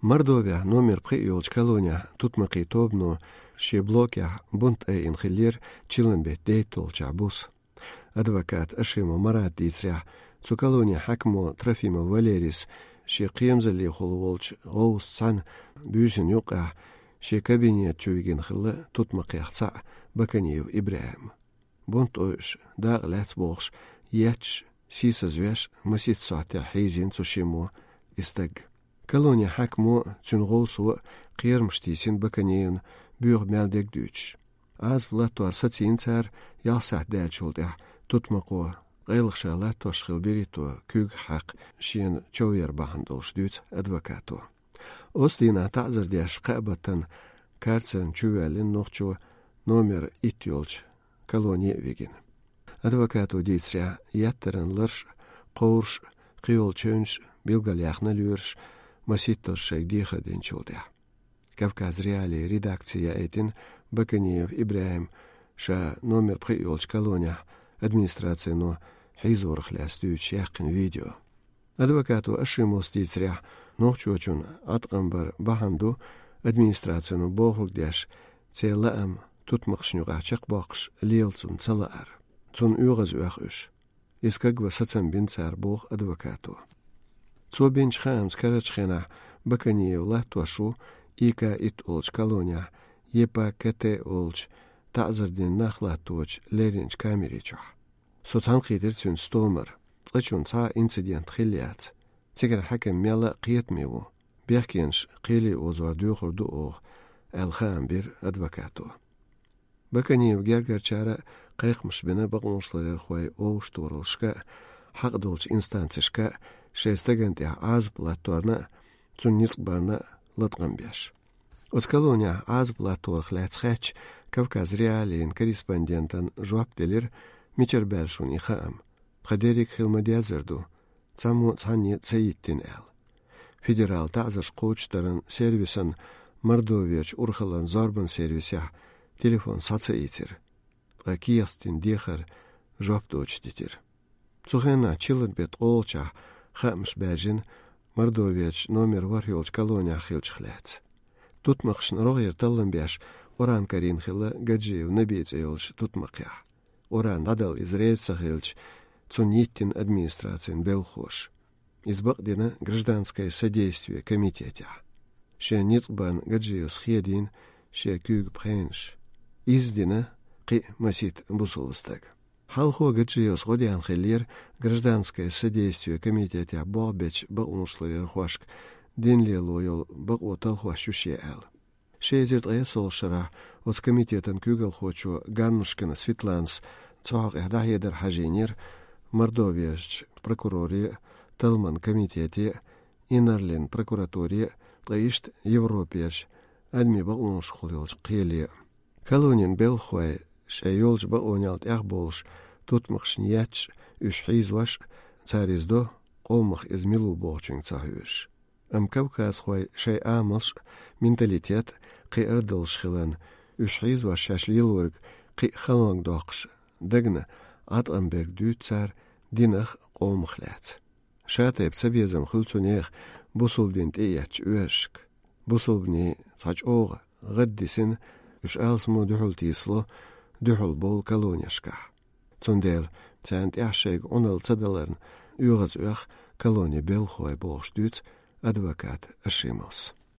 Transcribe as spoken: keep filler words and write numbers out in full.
Мордовехь номер пхиъ йолчу колонехь тутмакхийн тобано шен блокехь бунт айина хиллера чиллан беттан дейтталгӀачохь буса. Адвокат Ашимов Марата дийцарехь, цу колонин хьаькамо Трофимов Валерийс шен кхерамзаллехула волчу гӀовс цхьаьна буьйсанна юккъехь шен кабинета чу вигина хилла тутмакхех цхьаъ Баканиев ИбрахӀим. Бунт ойуш, дакъа лаьцна бохуш, етташ, сийсазвеш, масийтта сохьтехь хьийзийна цу шиммо и стаг. Колонин хьаькамо, цуьнан гӀовсо кхерамаш тийсина Баканиевна боьха мел дерг дуьйцуш. Ӏазап латтор сацийна цара ялх сахьт даьллачул тӀаьхьа тутмакхо, къайлаха ша латтош хилла берхӀитто куьйгах хьаькхна шена чов яр бахьана долуш дуьйцу адвокато. Оцу дийнахь таӀзар деш кхаа баттана карцерна чувоьллина нохчо номер итт йолчу колоне а вигина. Адвокато дийцарехь, еттаран ларш а, кховраш а, кхийолу чевнаш а билгалъяьхна лоьраш, масийттаза шайга дехар динчул тӀаьхьа. Кавказ.Реалии редакци яийтина Баканиев ИбрахӀима ша номер пхиъ йолчу колонехь администрацино хьийзорах лаьцна дуьйцуш яьккхина видео. Адвокато Ашимовс дийцарехь, нохчочун Ӏаткъам бар бахьана ду администрацино бохург деш, церан лаам тутмакхашна юкъахь чекхбоккхуш лела цунна ца лаар. Цунна оьгӀаз оьху уьш. Иза кагван сацам бина цара, боху адвокато. Цо бинчу хаамца карарчу хенахь Баканиев латтош ву И К итт олучу колонехь, Е П К Т олучу таӀзар дина нах латточу лерринчу камери чохь. Со цхьаьнакхийтира цуьнца стомара, цкъачунна цхьа а инцидент хилла яц. Цигара хьаькам мелла а кхетаме ву. Бехкенаш кхеле озор доьхур ду оха, аьлла хаам бира адвокато. Баканиевн гергарчара а кхайкхамаш бина бакъонашларъярхойн вовшахтохараллашка а, хьакъ долчу инстанцешка а, шайн стагана тӀехь Ӏазап латторна а, цунна ницкъ барна а латкъам беш. Оцу колонехь Ӏазап латторах лаьцна хаьттича, Кавказ.Реалиин корреспондентана жоп делира, мичара баьлла шуна и хаам. Тхан дерриг а хила ма-деззара ду, цхьаммо а цхьанне а ца йиттина аьлла. Федералан таӀзарш кхочушдаран сервисан Мордовечу урхаллин зорбанан сервисехь телефон схьа ца ийцира, ткъа кехатца дина дехар жоп доцуш дитира. Цу хенахь чиллан беттан ткъолгӀачохь хаамаш баьржина Мордовечу номер ворхӀ йолчу колонехь хиллачух лаьцна. Тутмакхашна рогӀера таллам беш, Къуръан карийна хилла Гаджиев Наби цӀе йолчу тутмакхехь. Къуръан дӀадала иза реза ца хилча, цунна йиттина администрацин белхахоша. Иза бакъдина гражданское содействие комитетехь. Шен ницкъ барна Гаджиевс хедийна шен куьйга пхенаш. Изза дина кхин а масийтта бусалба стаг. Хьалхо Гаджиевс гӀо деана хиллера гражданское содействие комитетехь болх бечу бакъонашларъярхошка дин лело йолу бакъо талхош ю шен аьлла. Ши эзар ткъе ялхалгӀачу шарахь оцу комитетан куьйгалхочо Ганнушкина Светланас цу хьокъехь дӀахьедар хьажийнера Мордовечу прокуроре а, талламан комитете а, инарлин прокуратуре а, ткъа иштта Европерчу адамийн бакъонашкахула йолчу кхеле а. Колонин белхахой шайн йолчу бакъонел тӀехбовлуш, тутмакхашна етташ а, уьш хьийзош а, цара иза до, къомах иза мила ву бохучуьнга ца хьоьжуш. Амма кавказхойн шайн амалш а, менталитет а кхиар а долуш хиларна, уьш хьийзош шаьш лелориг кхин а халонга доккхуш дагна Ӏаткъам берг дуьйцу цара динах а, къомах а лаьцна. Ша-тайпа цабезам хуьлу цу нехан бусалба дин тӀеэцначу оьрсашка. Бусалбанийн цхьа чӀогӀа гӀаддисина, уьш алсамо дуьхьал тийсало, дуьхьал бовлу колонешкахь. Цундела царна тӀехь шайга Ӏуналла ца даларна оьгӀаз оьху колонин белхахой, бохуш дуьйцу адвокат Ашимовс.